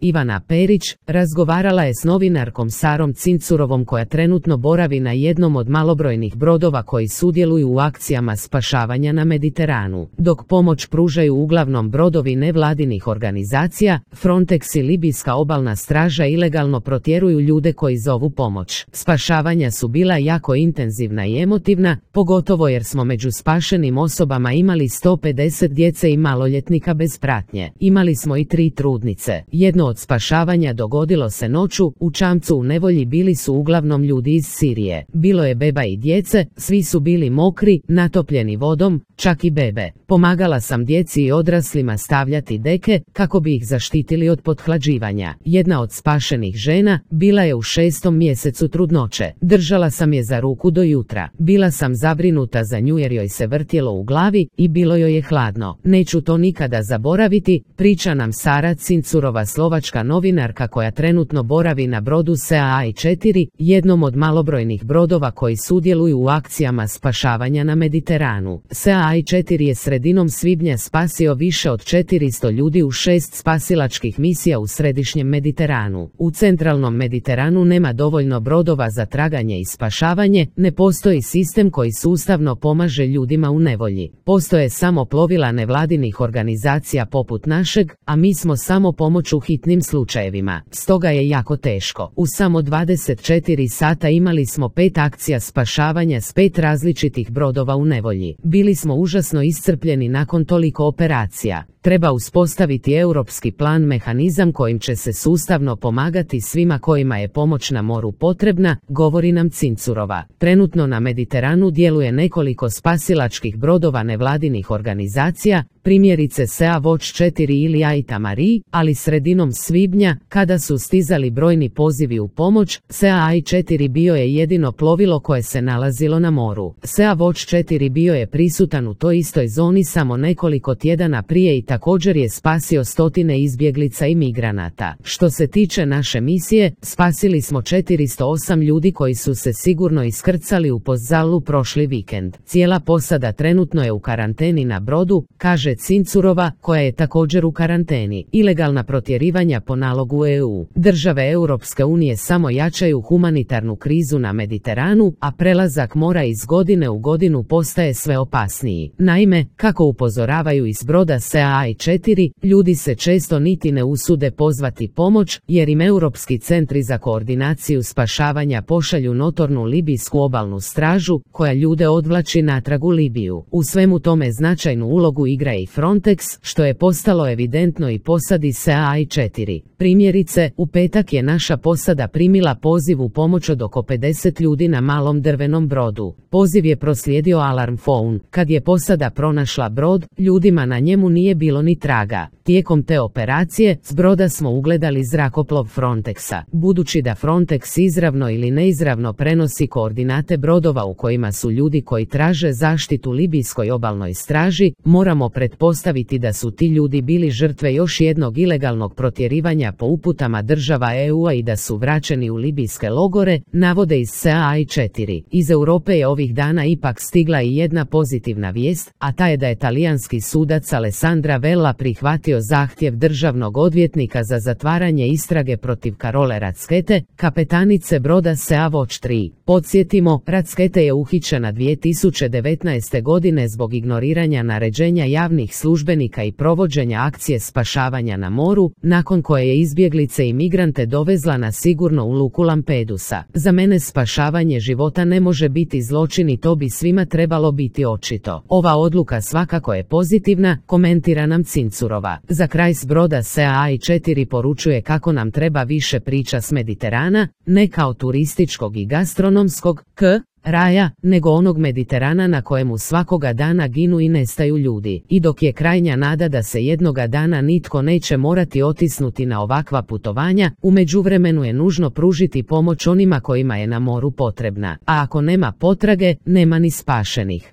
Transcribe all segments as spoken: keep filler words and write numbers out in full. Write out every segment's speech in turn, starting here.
Ivana Perić, razgovarala je s novinarkom Sarom Cincurovom koja trenutno boravi na jednom od malobrojnih brodova koji sudjeluju u akcijama spašavanja na Mediteranu. Dok pomoć pružaju uglavnom brodovi nevladinih organizacija, Frontex i Libijska obalna straža ilegalno protjeruju ljude koji zovu pomoć. Spašavanja su bila jako intenzivna i emotivna, pogotovo jer smo među spašenim osobama imali sto pedeset djece i maloljetnika bez pratnje. Imali smo i tri trudnice. Jedno od spašavanja dogodilo se noću, u čamcu u nevolji bili su uglavnom ljudi iz Sirije. Bilo je beba i djece, svi su bili mokri, natopljeni vodom, čak i bebe. Pomagala sam djeci i odraslima stavljati deke, kako bi ih zaštitili od pothlađivanja. Jedna od spašenih žena bila je u šestom mjesecu trudnoće. Držala sam je za ruku do jutra. Bila sam zabrinuta za nju jer joj se vrtjelo u glavi i bilo joj je hladno. Neću to nikada zaboraviti, priča nam Sara Cincurova, slovačka novinarka koja trenutno boravi na brodu S A I četiri, jednom od malobrojnih brodova koji sudjeluju u akcijama spašavanja na Mediteranu. S A I četiri je sredinom svibnja spasio više od četiristo ljudi u šest spasilačkih misija u središnjem Mediteranu. U centralnom Mediteranu nema dovoljno brodova za traganje i spašavanje, ne postoji sistem koji sustavno pomaže ljudima u nevolji. Postoje samo plovila nevladinih organizacija poput našeg, a mi smo samo pomoć u hitnim slučajevima. Stoga je jako teško. U samo dvadeset četiri sata imali smo pet akcija spašavanja s pet različitih brodova u nevolji. Bili smo užasno iscrpljeni nakon toliko operacija. Treba uspostaviti europski plan, mehanizam kojim će se sustavno pomagati svima kojima je pomoć na moru potrebna, govori nam Cincurova. Trenutno na Mediteranu djeluje nekoliko spasilačkih brodova nevladinih organizacija, primjerice Sea Watch četiri ili Aita Marie, ali sredinom svibnja, kada su stizali brojni pozivi u pomoć, Sea I četiri bio je jedino plovilo koje se nalazilo na moru. Sea Watch četiri bio je prisutan u toj istoj zoni samo nekoliko tjedana prije i također je spasio stotine izbjeglica i migranata. Što se tiče naše misije, spasili smo četiristo osam ljudi koji su se sigurno iskrcali u Pozzalu prošli vikend. Cijela posada trenutno je u karanteni na brodu, kaže Cincurova, koja je također u karanteni. Ilegalna protjerivanja po nalogu E U. Države Europske unije samo jačaju humanitarnu krizu na Mediteranu, a prelazak mora iz godine u godinu postaje sve opasniji. Naime, kako upozoravaju iz broda S A I četiri, ljudi se često niti ne usude pozvati pomoć, jer im Europski centri za koordinaciju spašavanja pošalju notornu libijsku obalnu stražu, koja ljude odvlači natrag u Libiju. U svemu tome značajnu ulogu igra i Frontex, što je postalo evidentno i posadi S A I četiri. Primjerice, u petak je naša posada primila poziv u pomoć od oko pedeset ljudi na malom drvenom brodu. Poziv je proslijedio Alarm Phone. Kad je posada pronašla brod, ljudima na njemu nije bilo ni traga. Tijekom te operacije, s broda smo ugledali zrakoplov Frontexa. Budući da Frontex izravno ili neizravno prenosi koordinate brodova u kojima su ljudi koji traže zaštitu libijskoj obalnoj straži, moramo pretpostaviti da su ti ljudi bili žrtve još jednog ilegalnog protjerivanja po uputama država E U-a i da su vraćeni u libijske logore, navode iz S A I četiri. Iz Europe je ovih dana ipak stigla i jedna pozitivna vijest, a ta je da je talijanski sudac Alessandra Vella prihvatio zahtjev državnog odvjetnika za zatvaranje istrage protiv Carole Rackete, kapetanice broda Sea Watch tri. Podsjetimo, Rackete je uhićena dvije tisuće devetnaeste. godine zbog ignoriranja naređenja javnih službenika i provođenja akcije spašavanja na moru, nakon koje je izbjeglice i migrante dovezla na sigurno u luku Lampedusa. Za mene spašavanje života ne može biti zločin i to bi svima trebalo biti očito. Ova odluka svakako je pozitivna, komentira nam Cincurova. Za kraj s broda S A I četiri poručuje kako nam treba više priča s Mediterana, ne kao turističkog i gastronomskog k raja, nego onog Mediterana na kojemu svakoga dana ginu i nestaju ljudi. I dok je krajnja nada da se jednoga dana nitko neće morati otisnuti na ovakva putovanja, u međuvremenu je nužno pružiti pomoć onima kojima je na moru potrebna. A ako nema potrage, nema ni spašenih.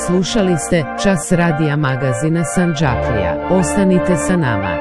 Slušali ste Čas radija magazina Sandžaklija. Ostanite sa nama.